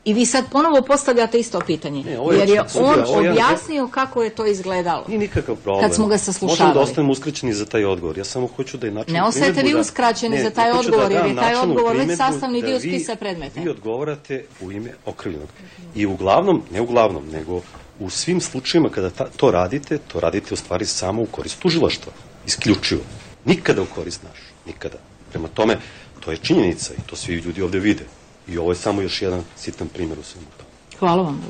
I vi sad ponovo postavljate isto pitanje, jer je on objasnio kako je to izgledalo. Nije nikakav problem. Kad smo ga saslušavali. Možemo da ostanemo uskraćeni za taj odgovor. Ja samo hoću da je način ne ostajete vi uskraćeni za taj odgovor, jer je taj odgovor već sastavni dio spisa predmeta. Vi odgovarate u ime okrivljenog. I uglavnom, ne uglavnom, nego u svim slučajima kada to radite u stvari samo u korist tužilaštva. Isključivo. Nikada u korist našu. Nikada. Prema tome, to je činjenica i to svi ljudi ovde vide. I ovo je samo još jedan sitan primjer u svemu tome. Hvala vam.